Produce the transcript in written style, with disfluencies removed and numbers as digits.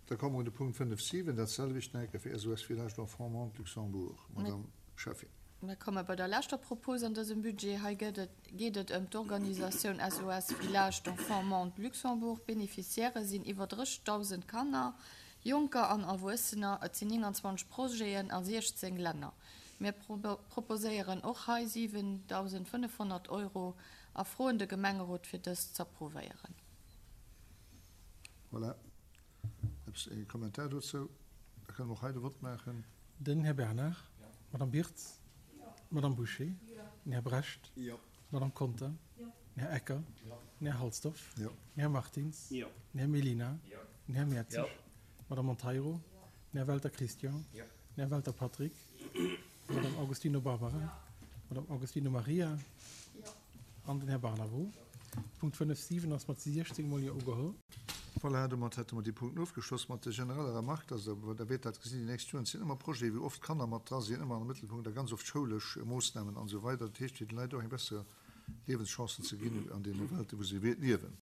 Da komme mer un de Punkt 5, 7, dat selwecht nach eng Kéier fir SOS Village d'Enfants Monde Luxembourg. Madame Schäffin. Mir komme bei der leschter Propos an dësem Budget. Hei gëtt et, geet et ëm d'Organisatioun SOS Village d'Enfants Monde Luxembourg. D'Beneficiairë sinn iwwer 30.000 Kanner, Jonker an Erwuessener. Et sinn 29 Projeten a 16 Länner. Mir proposéieren och hei 7.500 Euro a froen de Gemengerot fir dëst z'approuvéieren. Voilà. Eppes, e Kommentar dozou? Da kënne mer och hei de Vott maachen. Den Här Bernard. D'Madame Birtz. D'Madame Bouché. Den Här Brecht. D'Madame Conter. Den Här Ecker. Den Här Halsdorf. Den Här Martins. Den Här Mellina. Den Här Mertzig. D'Madame Monteiro. Den Här Welter Christian. Den Här Welter Patrick. D'Madame Augustino Barbara. D'Madame Augustino Maria. An den Här Barnabo. Punkt 5, 7 ass mat 16 mol Jo ugeholl. Voilà, domat hätte mer déi Punkten ofgeschloss mat der genereller Remarque, dass Der, Der wäert dat gesinn déi nächst Joren, et sinn ëmmer Projete wou oft Kanner mat dra sinn, ëmmer am Mëttelpunkt a ganz oft schoulesch Moossnamen an esou weider. Dat heescht fir de Leit och eng besser Liewenschancen ze ginn an deene Welten, wou se liewen.